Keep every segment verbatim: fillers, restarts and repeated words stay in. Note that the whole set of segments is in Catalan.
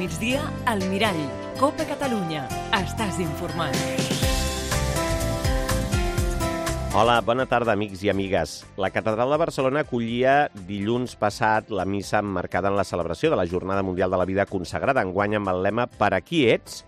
migdia, al Mirall. Copa Catalunya. Estàs informat. Hola, bona tarda, amics i amigues. La Catedral de Barcelona acollia dilluns passat la missa emmarcada en la celebració de la Jornada Mundial de la Vida Consagrada, enguany amb el lema «Per a qui ets?».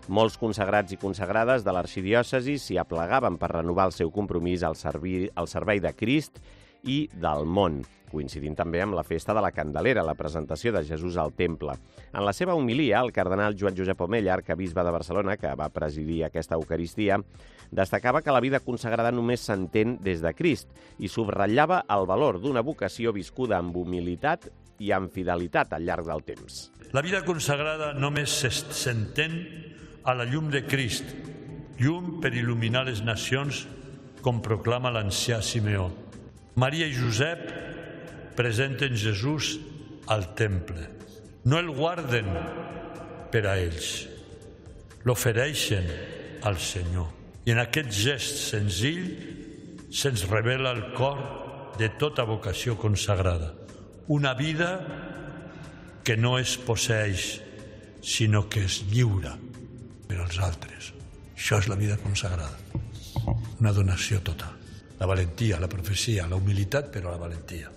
Molts consagrats i consagrades de l'arxidiòcesi s'hi aplegaven per renovar el seu compromís al, servi, al servei de Crist i del món, coincidint també amb la festa de la Candelera, la presentació de Jesús al Temple. En la seva homilia, el cardenal Joan Josep Omeya, arquebisbe de Barcelona, que va presidir aquesta Eucaristia, destacava que la vida consagrada només s'entén des de Crist i subratllava el valor d'una vocació viscuda amb humilitat i amb fidelitat al llarg del temps. La vida consagrada només s'entén a la llum de Crist, llum per il·luminar les nacions, com proclama l'ancià Simeó. Maria i Josep presenten Jesús al temple. No el guarden per a ells, l'ofereixen al Senyor. I en aquest gest senzill se'ns revela el cor de tota vocació consagrada. Una vida que no es posseix, sinó que es lliura per als altres. Això és la vida consagrada. Una donació total. La valentia, la profecia, la humilitat, però la valentia.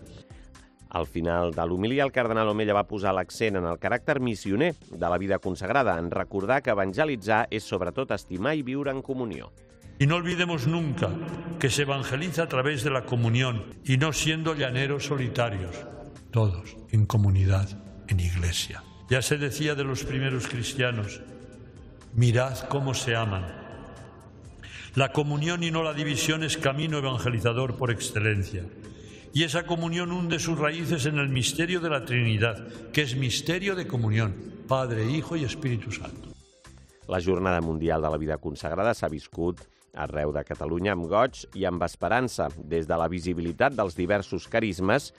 Al final de l'homilia, el cardenal Omeya va posar l'accent en el caràcter missioner de la vida consagrada, en recordar que evangelitzar és sobretot estimar i viure en comunió. Y no olvidemos nunca que se evangeliza a través de la comunión y no siendo llaneros solitarios, todos en comunidad, en iglesia. Ya se decía de los primeros cristianos, mirad cómo se aman. La comunión y no la división es camino evangelizador por excelencia. Y esa comunión hunde sus raíces en el misterio de la Trinidad, que es misterio de comunión, Padre, Hijo y Espíritu Santo. La Jornada Mundial de la Vida Consagrada s'ha viscut arreu de Catalunya amb goig i amb esperança, des de la visibilitat dels diversos carismes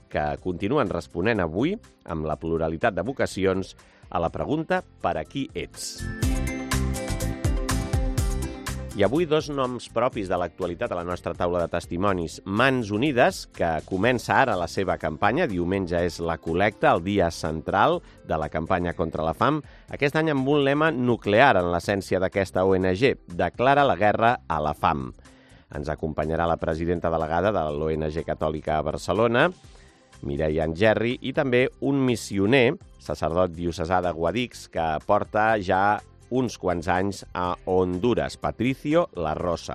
que continuen responent avui, amb la pluralitat de vocacions, a la pregunta «Per a qui ets?». I avui dos noms propis de l'actualitat a la nostra taula de testimonis. Mans Unides, que comença ara la seva campanya. Diumenge és la col·lecta, el dia central de la campanya contra la fam. Aquest any amb un lema nuclear en l'essència d'aquesta O N G. Declara la guerra a la fam. Ens acompanyarà la presidenta delegada de l'O N G Catòlica a Barcelona, Mireia Angerri, i també un missioner, sacerdot diocesà de Guadix, que porta ja uns quants anys a Honduras, Patricio La Rosa.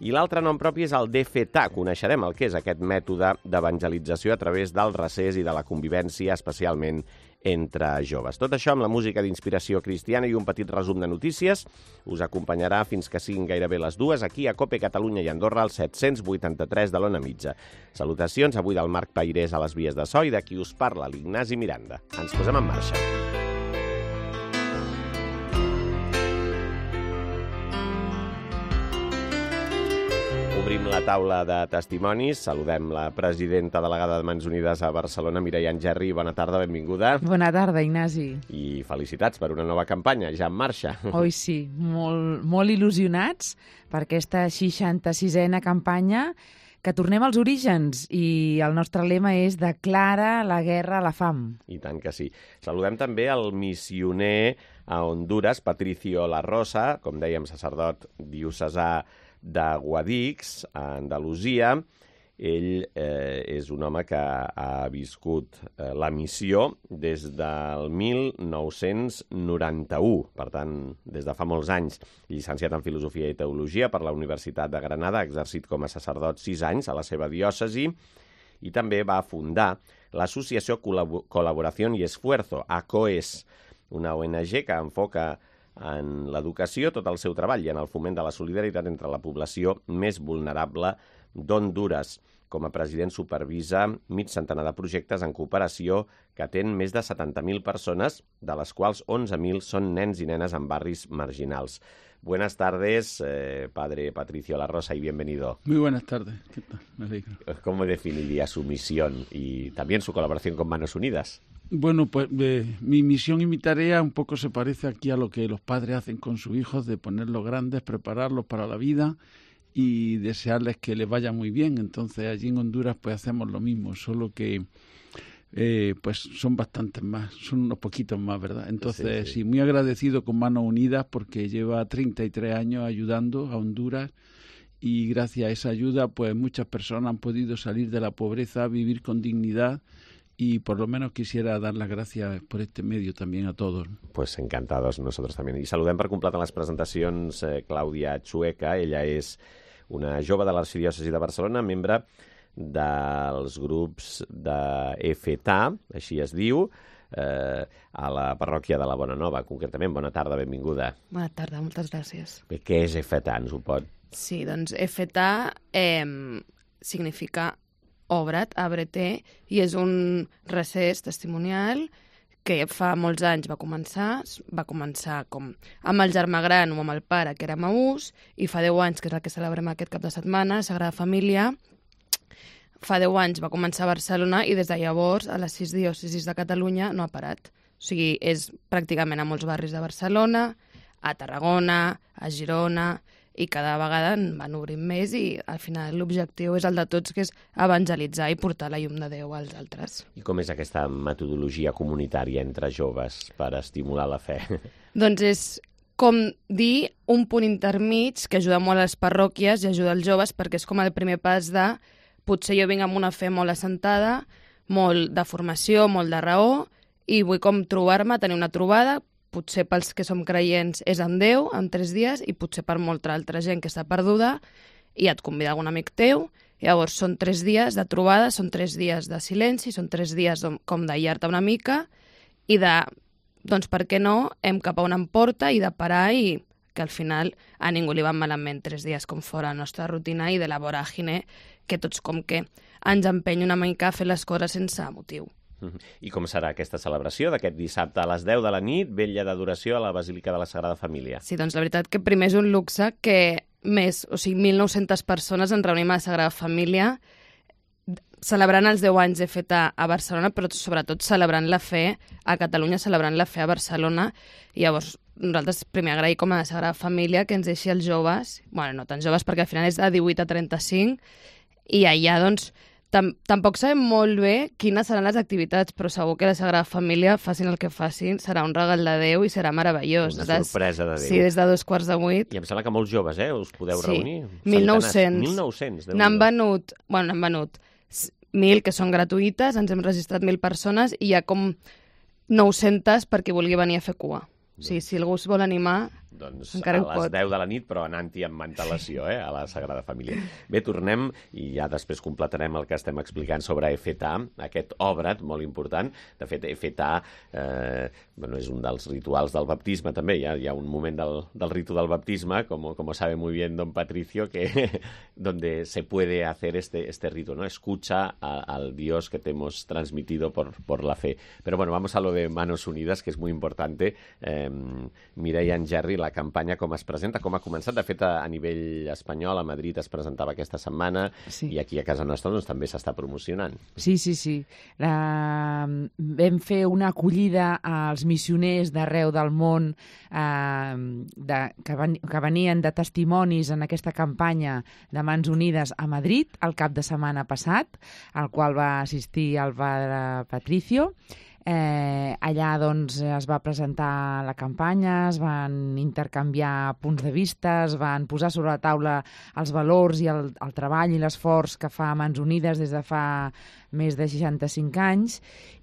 I l'altre nom propi és el D F T A. Coneixerem el que és aquest mètode d'evangelització a través del recés i de la convivència, especialment entre joves. Tot això amb la música d'inspiració cristiana i un petit resum de notícies us acompanyarà fins que siguin gairebé les dues aquí a Cope Catalunya i Andorra al set-cents vuitanta-tres de l'Ona Mitja. Salutacions avui del Marc Pairés a les vies de so i de qui us parla, l'Ignasi Miranda. Ens posem en marxa. Obrim la taula de testimonis. Saludem la presidenta delegada de Mans Unides a Barcelona, Mireia Angerri. Bona tarda, benvinguda. Bona tarda, Ignasi. I felicitats per una nova campanya, ja en marxa. Oi, sí, molt, molt il·lusionats per aquesta seixanta-sisena campanya, que tornem als orígens i el nostre lema és Declara la guerra a la fam. I tant que sí. Saludem també el missioner a Honduras, Patricio La Rosa, com dèiem, sacerdot diocesà de Guadix, a Andalusia. Ell eh, és un home que ha viscut eh, la missió des del mil nou-cents noranta-u, per tant, des de fa molts anys. Llicenciat en Filosofia i Teologia per la Universitat de Granada, ha exercit com a sacerdot sis anys a la seva diòcesi i també va fundar l'associació Col·laboració i Esfuerzo, A C O E S, una O N G que enfoca en l'educació tot el seu treball i en el foment de la solidaritat entre la població més vulnerable d'Honduras. Com a president supervisa mig centenar de projectes en cooperació que atén més de setanta mil persones, de les quals onze mil són nens i nenes en barris marginals. Buenas tardes, eh, padre Patricio La Rosa, y bienvenido. Muy buenas tardes, ¿qué tal? Me alegro. ¿Cómo definiría su misión y también su colaboración con Manos Unidas? Bueno, pues eh, mi misión y mi tarea un poco se parece aquí a lo que los padres hacen con sus hijos, de ponerlos grandes, prepararlos para la vida y desearles que les vaya muy bien. Entonces allí en Honduras pues hacemos lo mismo, solo que eh, pues son bastantes más, son unos poquitos más, ¿verdad? Entonces, sí, sí. sí, muy agradecido con Manos Unidas porque lleva treinta y tres años ayudando a Honduras y gracias a esa ayuda, pues muchas personas han podido salir de la pobreza, vivir con dignidad. Y por lo menos quisiera dar las gracias por este medio también a todos. Pues encantados nosotros també. I saludem per completar les presentacions eh, Clàudia Chueca. Ella és una jove de l'Arxidiòcesi de Barcelona, membre dels grups de F T A, així es diu, eh, a la parròquia de la Bona Nova, concretament. Bona tarda, benvinguda. Bona tarda, moltes gràcies. Bé, què és F T A? Ens ho pot... Sí, doncs F T A eh, significa Obre't, Abre-te, i és un recés testimonial que fa molts anys va començar, va començar com amb el germà gran o amb el pare, que era Maús, i fa deu anys, que és el que celebrem aquest cap de setmana, Sagrada Família. Fa deu anys va començar a Barcelona i des de llavors a les sis diòcesis de Catalunya no ha parat. O sigui, és pràcticament a molts barris de Barcelona, a Tarragona, a Girona, i cada vegada en van obrint més i al final l'objectiu és el de tots, que és evangelitzar i portar la llum de Déu als altres. I com és aquesta metodologia comunitària entre joves per estimular la fe? Doncs és com dir un punt intermig que ajuda molt a les parròquies i ajuda als joves, perquè és com el primer pas de potser jo vinc amb una fe molt assentada, molt de formació, molt de raó, i vull com trobar-me, tenir una trobada. Potser pels que som creients és amb Déu, en tres dies, i potser per molta altra gent que està perduda i et convida algun amic teu. Llavors són tres dies de trobada, són tres dies de silenci, són tres dies com d'aïllar-te una mica i de, doncs per què no, hem cap a on em porta i de parar, i que al final a ningú li van malament tres dies com fora la nostra rutina i de la voràgine que tots com que ens empeny una mica a fer les coses sense motiu. I com serà aquesta celebració d'aquest dissabte a les deu de la nit, vetlla d'adoració a la Basílica de la Sagrada Família? Sí, doncs la veritat que primer és un luxe que més, o sigui, mil nou-centes persones ens reunim a la Sagrada Família celebrant els deu anys de F T A a Barcelona, però sobretot celebrant la fe a Catalunya, celebrant la fe a Barcelona. I llavors nosaltres primer agrair com a la Sagrada Família que ens deixi els joves, bueno, no tan joves perquè al final és de divuit a trenta-cinc, i allà doncs Tam tampoc sabem molt bé quines seran les activitats, però segur que la Sagrada Família, facin el que facin, serà un regal de Déu i serà meravellós. Una sorpresa de Déu. Sí, des de dos quarts de vuit. I em sembla que molts joves, eh, us podeu sí. reunir. mil nou-cents. mil nou-cents. N'han venut, bueno, n'han venut mil que són gratuïtes, ens hem registrat mil persones i hi ha com nou-centes per qui vulgui venir a fer cua. O sigui, si algú es vol animar, doncs encara a ho les pot. deu de la nit, però anant-hi amb antelació, eh, a la Sagrada Família. Bé, tornem i ja després completarem el que estem explicant sobre F T A, aquest Obre't molt important. De fet, F T A eh, bueno, és un dels rituals del baptisme també. Hi ha, hi ha un moment del, del ritu del baptisme, como, como sabe muy bien don Patricio, que donde se puede hacer este, este rito, ¿no? Escucha a, al Dios que te hemos transmitido por, por la fe. Pero bueno, vamos a lo de Manos Unidas, que es muy importante. Eh, Mireia Engerri, la campanya com es presenta, com ha començat. De fet, a, a nivell espanyol, a Madrid es presentava aquesta setmana, sí. I aquí a casa nostra doncs, també s'està promocionant. Sí, sí, sí. La... Vam fer una acollida als missioners d'arreu del món eh, de, que, ven, que venien de testimonis en aquesta campanya de Mans Unides a Madrid el cap de setmana passat, al qual va assistir el padre Patricio. Eh, allà doncs, es va presentar la campanya, es van intercanviar punts de vista, es van posar sobre la taula els valors i el, el treball i l'esforç que fa Mans Unides des de fa més de seixanta-cinc anys,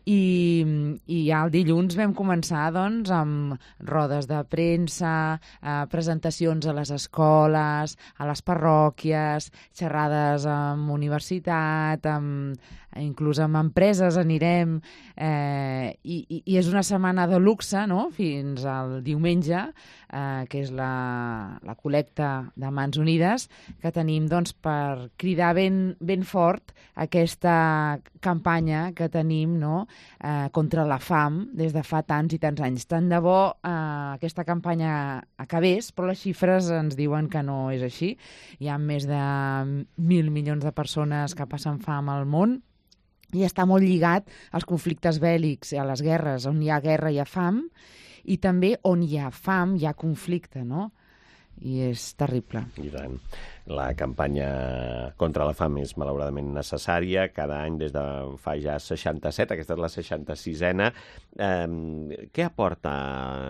i, i ja el dilluns vam començar doncs, amb rodes de premsa, eh, presentacions a les escoles, a les parròquies, xerrades amb universitat, amb, inclús amb empreses anirem, eh, i, i, i és una setmana de luxe, no?, fins al diumenge, eh, que és la, la col·lecta de Mans Unides, que tenim doncs, per cridar ben, ben fort aquesta campanya que tenim, no?, eh, contra la fam des de fa tants i tants anys. Tant de bo eh, aquesta campanya acabés, però les xifres ens diuen que no és així. Hi ha més de mil milions de persones que passen fam al món, i està molt lligat als conflictes bèl·lics, a les guerres. On hi ha guerra hi ha fam, i també on hi ha fam hi ha conflicte, no? I és terrible. I tant. La campanya contra la fam és malauradament necessària. Cada any des de fa ja seixanta-set, aquesta és la seixanta-sisena. Eh, què aporta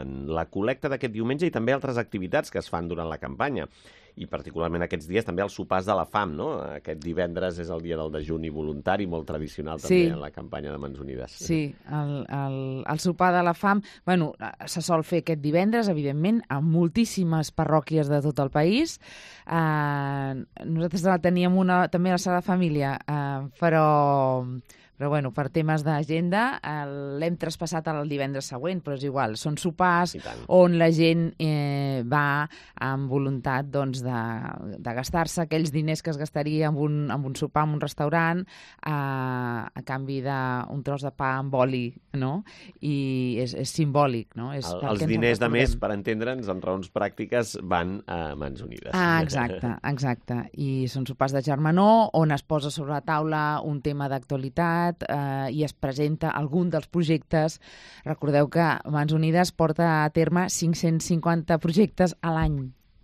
la col·lecta d'aquest diumenge i també altres activitats que es fan durant la campanya? I particularment aquests dies també els sopars de la fam, no? Aquest divendres és el dia del dejuni voluntari, molt tradicional també sí. en la campanya de Mans Unides. Sí, el, el, el sopar de la fam, bueno, se sol fer aquest divendres, evidentment, a moltíssimes parròquies de tot el país. Eh, nosaltres teníem una, també a la sala de família, eh, però... Però, bueno, per temes d'agenda l'hem traspassat al divendres següent, però és igual. Són sopars on la gent eh, va amb voluntat doncs, de, de gastar-se aquells diners que es gastaria amb un, amb un sopar en un restaurant a, a canvi d'un tros de pa amb oli, no? I és, és simbòlic, no? És el, els diners, de més, per entendre'ns, en raons pràctiques, van a Mans Unides. Ah, exacte, exacte. I són sopars de germanor on es posa sobre la taula un tema d'actualitat, Eh, i es presenta algun dels projectes. Recordeu que Mans Unides porta a terme cinc-cents cinquanta projectes a l'any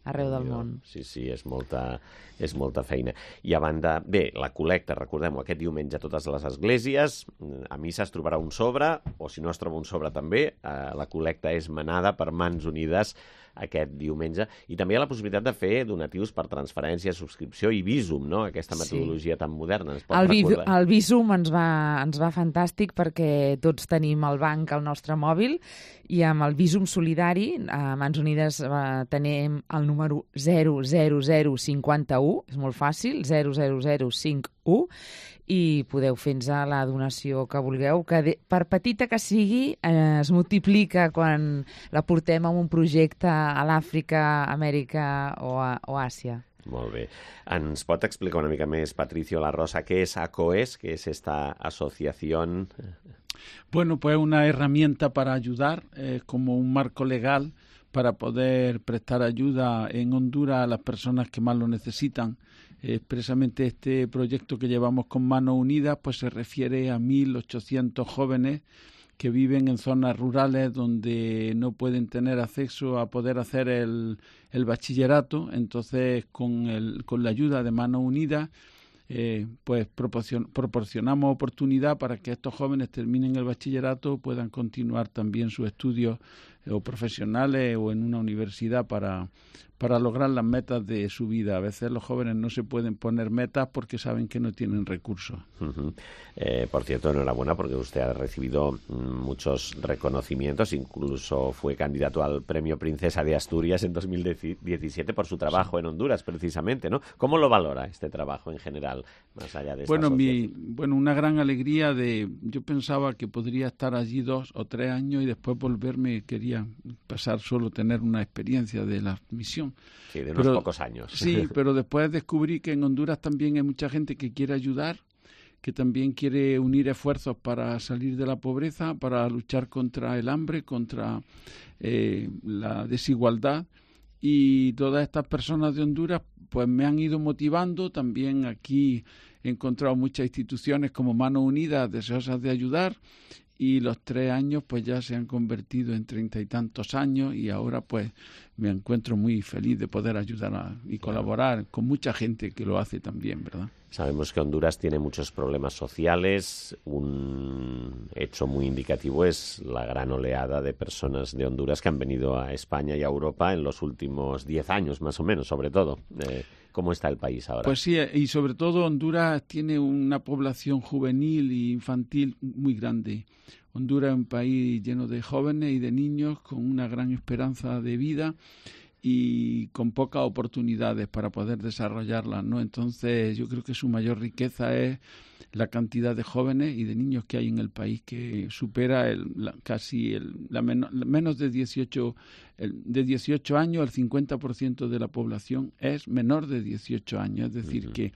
arreu del món. Sí, sí, és molta, és molta feina. I a banda, bé, la col·lecta, recordem-ho, aquest diumenge a totes les esglésies, a missa es trobarà un sobre, o si no es troba un sobre també, eh, la col·lecta és manada per Mans Unides aquest diumenge, i també hi ha la possibilitat de fer donatius per transferència, subscripció i Bizum, no? Aquesta metodologia sí. tan moderna. Es pot el, recordar... el Bizum ens va, ens va fantàstic perquè tots tenim el banc al nostre mòbil i amb el Bizum solidari a Mans Unides eh, tenim el número zero zero zero cinquanta-u, és molt fàcil, zero zero zero cinc u, i podeu fer-nos la donació que vulgueu, que de, per petita que sigui eh, es multiplica quan la portem a un projecte a l'Àfrica, Amèrica o, a, o Àsia. Molt bé. Ens pot explicar una mica més, Patricio La Rosa, què és ACOES, què és esta asociación? Bueno, pues una herramienta para ayudar, eh, como un marco legal para poder prestar ayuda en Honduras a las personas que más lo necesitan. Expresamente este proyecto que llevamos con Manos Unidas pues se refiere a mil ochocientos jóvenes que viven en zonas rurales donde no pueden tener acceso a poder hacer el, el bachillerato. Entonces, con, el, con la ayuda de Manos Unidas, eh, pues proporcion, proporcionamos oportunidad para que estos jóvenes terminen el bachillerato, puedan continuar también sus estudios eh, o profesionales o en una universidad para... para lograr las metas de su vida. A veces los jóvenes no se pueden poner metas porque saben que no tienen recursos. Uh-huh. Eh, por cierto, enhorabuena porque usted ha recibido muchos reconocimientos, incluso fue candidato al Premio Princesa de Asturias en dos mil diecisiete por su trabajo sí. en Honduras, precisamente, ¿no? ¿Cómo lo valora este trabajo en general, más allá de esta bueno, mi, bueno, una gran alegría de... Yo pensaba que podría estar allí dos o tres años y después volverme, quería pasar solo tener una experiencia de la misión. Sí, de unos pero, pocos años. Sí, pero después descubrí que en Honduras también hay mucha gente que quiere ayudar, que también quiere unir esfuerzos para salir de la pobreza, para luchar contra el hambre, contra eh, la desigualdad. Y todas estas personas de Honduras pues me han ido motivando. También aquí he encontrado muchas instituciones como Manos Unidas deseosas de ayudar. Y los tres años pues ya se han convertido en treinta y tantos años y ahora pues me encuentro muy feliz de poder ayudar a, y colaborar con mucha gente que lo hace también, ¿verdad? Sabemos que Honduras tiene muchos problemas sociales. Un hecho muy indicativo es la gran oleada de personas de Honduras que han venido a España y a Europa en los últimos diez años, más o menos, sobre todo. Eh, ¿Cómo está el país ahora? Pues sí, y sobre todo Honduras tiene una población juvenil e infantil muy grande. Honduras es un país lleno de jóvenes y de niños con una gran esperanza de vida y con pocas oportunidades para poder desarrollarlas, ¿no? Entonces yo creo que su mayor riqueza es la cantidad de jóvenes y de niños que hay en el país, que supera el, la, casi el, la men menos de dieciocho, el, de dieciocho años, el cincuenta por ciento de la población es menor de dieciocho años, es decir, uh-huh. que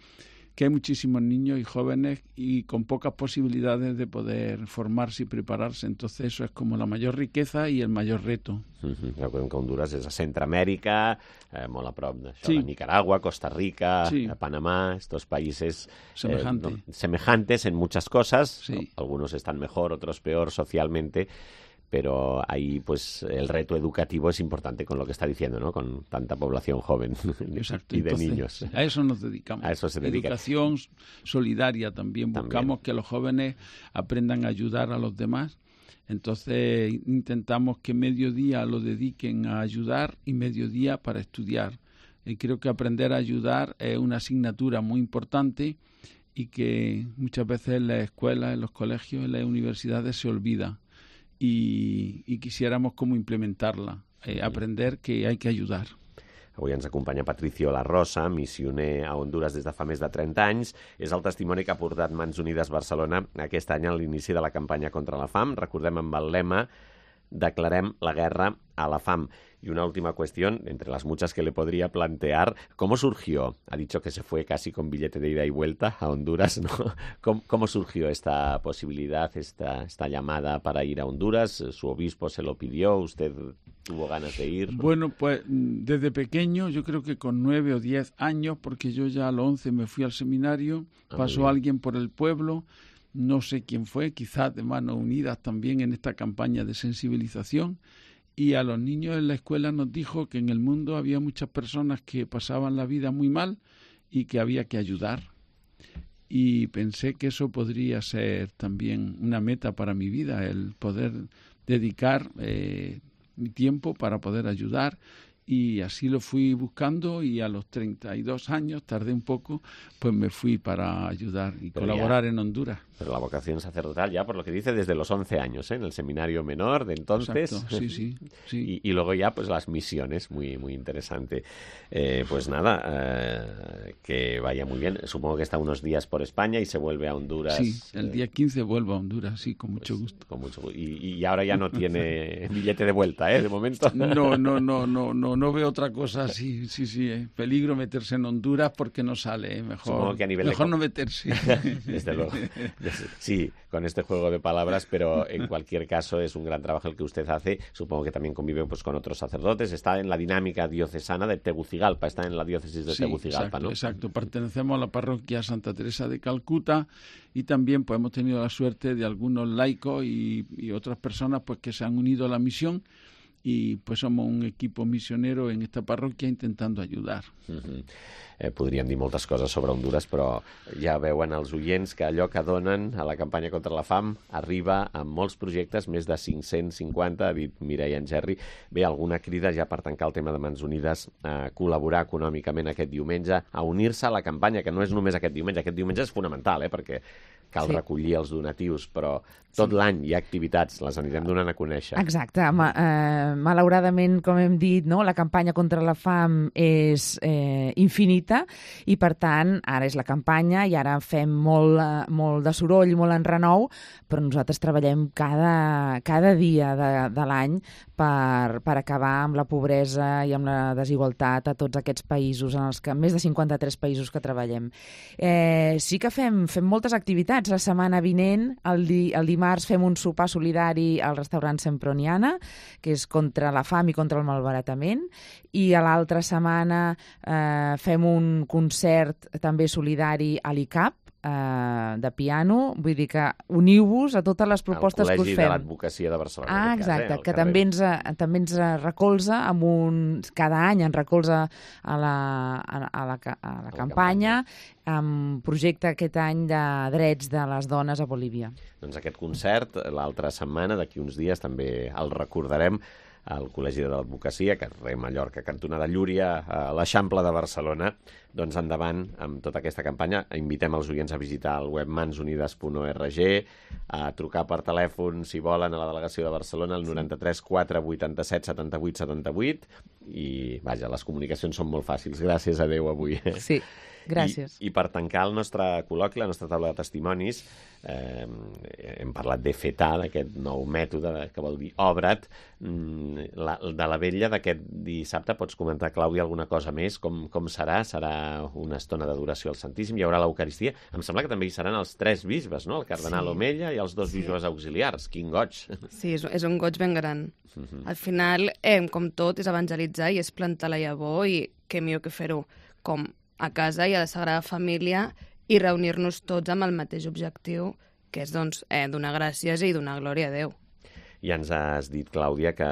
que hay muchísimos niños y jóvenes y con pocas posibilidades de poder formarse y prepararse. Entonces eso es como la mayor riqueza y el mayor reto. Uh-huh. Recordem que Honduras és a Centroamèrica, eh, molt a prop de sí. Nicaragua, Costa Rica, sí. Panamá, estos países Semejante. eh, no, semejantes en muchas cosas. Sí. Algunos están mejor, otros peor socialmente. pero ahí pues el reto educativo es importante con lo que está diciendo, ¿no? Con tanta población joven Exacto. y de Entonces, niños. A eso nos dedicamos. A eso se dedica. Educación solidaria también. Buscamos también que los jóvenes aprendan a ayudar a los demás. Entonces intentamos que mediodía lo dediquen a ayudar y mediodía para estudiar. Y creo que aprender a ayudar es una asignatura muy importante y que muchas veces en las escuelas, en los colegios, en las universidades se olvida. I, i quisiéramos com implementar-la, eh, aprender que hay que ayudar. Avui ens acompanya Patricio La Rosa, missioner a Honduras des de fa més de trenta anys. És el testimoni que ha portat Mans Unides Barcelona aquest any a l'inici de la campanya contra la fam. Recordem amb el lema Declarem la guerra a la fam. Y una última cuestión, entre las muchas que le podría plantear, ¿cómo surgió? Ha dicho que se fue casi con billete de ida y vuelta a Honduras, ¿no? ¿Cómo, cómo surgió esta posibilidad, esta, esta llamada para ir a Honduras? ¿Su obispo se lo pidió? ¿Usted tuvo ganas de ir? Bueno, pues desde pequeño, yo creo que con nueve o diez años, porque yo ya a los once me fui al seminario, ah, pasó alguien por el pueblo, no sé quién fue, quizás de Manos Unidas también en esta campaña de sensibilización, y a los niños en la escuela nos dijo que en el mundo había muchas personas que pasaban la vida muy mal y que había que ayudar. Y pensé que eso podría ser también una meta para mi vida, el poder dedicar eh, mi tiempo para poder ayudar. Y así lo fui buscando y a los treinta y dos años, tardé un poco, pues me fui para ayudar y pero colaborar ya, en Honduras. Pero la vocación sacerdotal ya, por lo que dice, desde los once años, ¿eh? En el seminario menor de entonces. Exacto, sí, sí. sí. Y, y luego ya, pues las misiones, muy muy interesante. Eh, pues nada, eh, que vaya muy bien. Supongo que está unos días por España y se vuelve a Honduras. Sí, el día quince vuelvo a Honduras, sí, con mucho pues, gusto. Con mucho gusto. Y, y ahora ya no tiene billete de vuelta, ¿eh? De momento. No, no, no, no, no. No veo otra cosa, sí, sí, sí. Eh. Peligro meterse en Honduras porque no sale, eh. mejor, que a nivel mejor de... no meterse. Desde luego. Sí, con este juego de palabras, pero en cualquier caso es un gran trabajo el que usted hace. Supongo que también convive pues, con otros sacerdotes. Está en la dinámica diocesana de Tegucigalpa, está en la diócesis de sí, Tegucigalpa, exacto, ¿no? Exacto, pertenecemos a la parroquia Santa Teresa de Calcuta y también pues hemos tenido la suerte de algunos laicos y, y otras personas pues que se han unido a la misión. I pues som un equip missionero en esta parròquia intentando ayudar. Uh-huh. eh, podríem dir moltes coses sobre Honduras, però ja veuen els oients que allò que donen a la campanya contra la fam arriba amb molts projectes, més de cinc-cents cinquanta, ha dit Mireia Engerri. Bé, alguna crida ja per tancar el tema de Mans Unides a col·laborar econòmicament aquest diumenge, a unir-se a la campanya, que no és només aquest diumenge, aquest diumenge és fonamental, eh, perquè cal sí. recollir els donatius, però tot sí. l'any hi ha activitats, les anirem donant a conèixer. Exacte. Ma, eh, malauradament, com hem dit, no, la campanya contra la fam és eh, infinita i, per tant, ara és la campanya i ara fem molt, molt de soroll, molt en renou, però nosaltres treballem cada, cada dia de, de l'any per, per acabar amb la pobresa i amb la desigualtat a tots aquests països, en els que més de cinquanta-tres països que treballem. Eh, sí que fem, fem moltes activitats. La setmana vinent, el, di, el dimarts, fem un sopar solidari al restaurant Semproniana, que és contra la fam i contra el malbaratament, i a l'altra setmana eh, fem un concert també solidari a l'I C A P, eh, de piano, vull dir que uniu-vos a totes les propostes que us fem. El Col·legi de l'Advocacia de Barcelona. Ah, exacte, cas, eh, que també ens, també ens recolza amb un... cada any ens recolza a la, a, a la, a la, a la campanya, amb projecte aquest any de drets de les dones a Bolívia. Doncs aquest concert, l'altra setmana, d'aquí uns dies, també el recordarem al Col·legi de l'Advocacia, carrer Mallorca, cantonada Llúria, a l'Eixample de Barcelona. Doncs endavant amb tota aquesta campanya. Invitem els oients a visitar el web mans unides punt org, a trucar per telèfon, si volen, a la delegació de Barcelona, al noranta-tres quatre vuitanta-set setanta-vuit setanta-vuit. I, vaja, les comunicacions són molt fàcils. Gràcies a Déu avui. Sí. Gràcies. I, I per tancar el nostre col·loqui, la nostra taula de testimonis, eh, hem parlat de FETA, d'aquest nou mètode que vol dir obre't. La, de la vetlla d'aquest dissabte, pots comentar, Clàudia, alguna cosa més? Com, com serà? Serà una estona d'adoració al Santíssim? Hi haurà l'Eucaristia? Em sembla que també hi seran els tres bisbes, no? El cardenal sí. Omella i els dos sí. bisbes auxiliars. Quin goig! Sí, és, és un goig ben gran. Uh-huh. Al final, eh, com tot, és evangelitzar i és plantar la llavor i què millor que fer-ho com a casa i a la Sagrada Família i reunir-nos tots amb el mateix objectiu, que és doncs, eh, donar gràcies i donar glòria a Déu. Ja ens has dit, Clàudia, que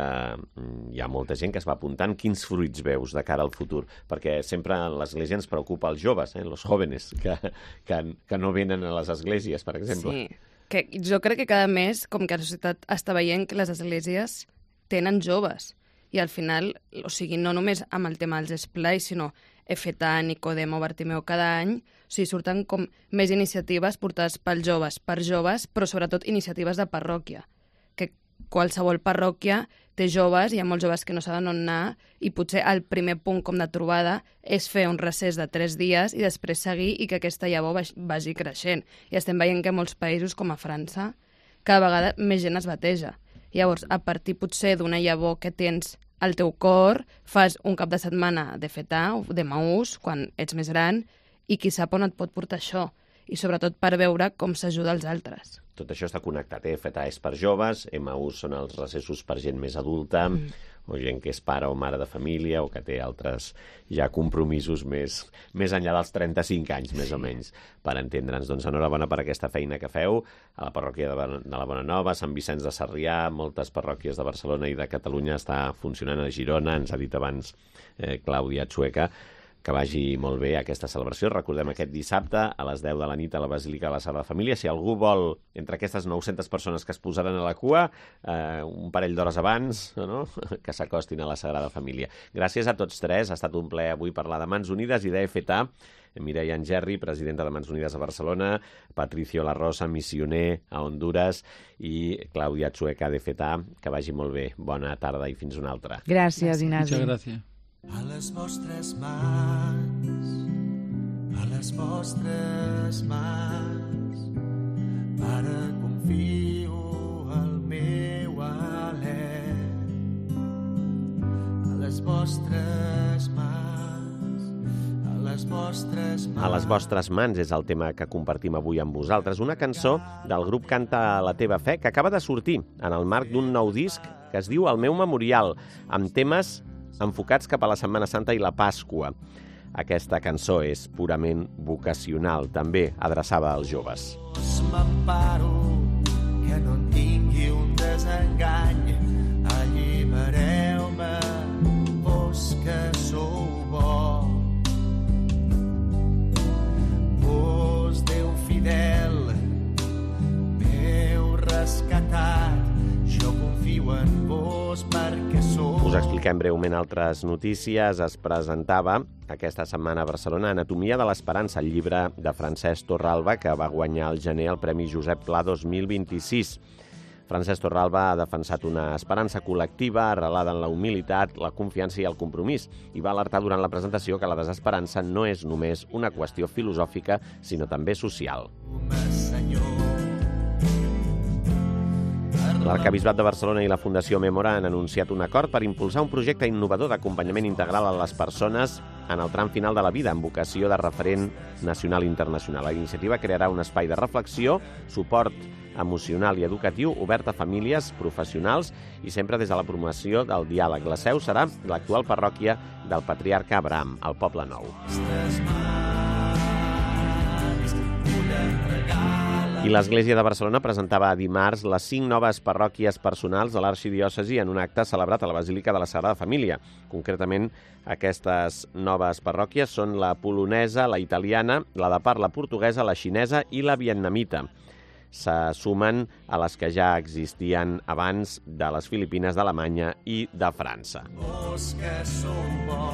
hi ha molta gent que es va apuntant. Quins fruits veus de cara al futur? Perquè sempre l'Església ens preocupa els joves, eh? los jóvenes, que, que, que no venen a les esglésies, per exemple. Sí, que jo crec que cada mes, com que la societat està veient que les esglésies tenen joves, i al final, o sigui, no només amb el tema dels esplais, sinó Efetà, Nicodemo, Bartimeu, cada any, o sigui, surten com més iniciatives portades pels joves, per joves, però sobretot iniciatives de parròquia, que qualsevol parròquia té joves, hi ha molts joves que no saben on anar, i potser el primer punt com de trobada és fer un recés de tres dies i després seguir i que aquesta llavor vagi creixent. I estem veient que en molts països, com a França, cada vegada més gent es bateja. Llavors, a partir potser d'una llavor que tens al teu cor, fas un cap de setmana de Fetà o de Maús, quan ets més gran, i qui sap on et pot portar això. I sobretot per veure com s'ajuda els altres. Tot això està connectat, eh? Fetà és per joves, Emaús són els recessos per gent més adulta, mm. o gent que és pare o mare de família, o que té altres ja compromisos més, més enllà dels trenta-cinc anys, més o menys, per entendre'ns. Doncs enhorabona per aquesta feina que feu a la parròquia de, de la Bonanova, Sant Vicenç de Sarrià, moltes parròquies de Barcelona i de Catalunya, està funcionant a Girona, ens ha dit abans eh, Clàudia Chueca. Que vagi molt bé aquesta celebració. Recordem aquest dissabte a les deu de la nit a la Basílica de la Sagrada Família. Si algú vol, entre aquestes nou-centes persones que es posaran a la cua, eh, un parell d'hores abans, no? que s'acostin a la Sagrada Família. Gràcies a tots tres. Ha estat un plaer avui parlar de Mans Unides i d'Efetà. Mireia Angerri, presidenta de Mans Unides a Barcelona, Patricio La Rosa, missioner a Honduras, i Clàudia Chueca d'Efetà. Que vagi molt bé. Bona tarda i fins una altra. Gràcies, Ignasi. Muchas gracias. A les vostres mans, a les vostres mans, Pare, confio el meu alè. A les vostres mans, a les vostres mans. A les vostres mans és el tema que compartim avui amb vosaltres. Una cançó del grup Canta la teva fe que acaba de sortir en el marc d'un nou disc que es diu El meu memorial, amb temes enfocats cap a la Setmana Santa i la Pasqua. Aquesta cançó és purament vocacional, també adreçada als joves. M'emparo, que no en tingui un desengany, allibereu-me, vos que sou bo. Vos, Déu fidel, m'heu rescatat, jo confio en vos perquè sou... Us expliquem breument altres notícies. Es presentava aquesta setmana a Barcelona Anatomia de l'Esperança, el llibre de Francesc Torralba, que va guanyar al gener el Premi Josep Pla dos mil vint-i-sis. Francesc Torralba ha defensat una esperança col·lectiva arrelada en la humilitat, la confiança i el compromís, i va alertar durant la presentació que la desesperança no és només una qüestió filosòfica, sinó també social. L'Arquebisbat de Barcelona i la Fundació Memora han anunciat un acord per impulsar un projecte innovador d'acompanyament integral a les persones en el tram final de la vida, amb vocació de referent nacional i internacional. La iniciativa crearà un espai de reflexió, suport emocional i educatiu obert a famílies, professionals i sempre des de la promoció del diàleg. La seu serà l'actual parròquia del Patriarca Abraham, al Poble Nou. I l'Església de Barcelona presentava dimarts les cinc noves parròquies personals de l'arxidiòcesi en un acte celebrat a la Basílica de la Sagrada Família. Concretament, aquestes noves parròquies són la polonesa, la italiana, la de parla portuguesa, la xinesa i la vietnamita. Se sumen a les que ja existien abans de les Filipines, d'Alemanya i de França. Vos que sou bo,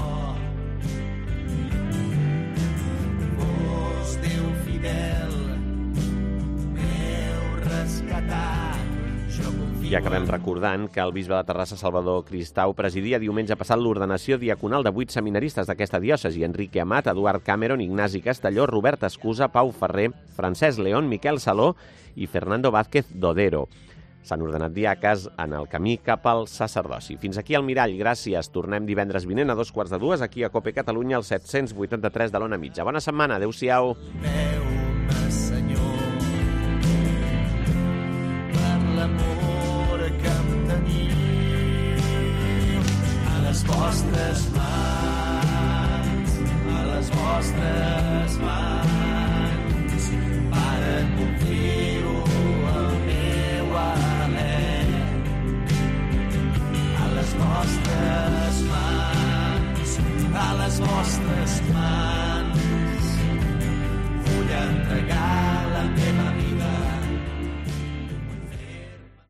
vos, Déu fidel, I acabem recordant que el bisbe de Terrassa, Salvador Cristau, presidia diumenge passat l'ordenació diaconal de vuit seminaristes d'aquesta diòcesi: Enrique Amat, Eduard Cameron, Ignasi Castelló, Robert Escusa, Pau Ferrer, Francesc León, Miquel Saló i Fernando Vázquez Dodero. S'han ordenat diaques en el camí cap al sacerdoci. Fins aquí el Mirall, gràcies. Tornem divendres vinent a dos quarts de dues aquí a Cope Catalunya, al set-cents vuitanta-tres de l'Ona Mitja. Bona setmana, adeu-siau.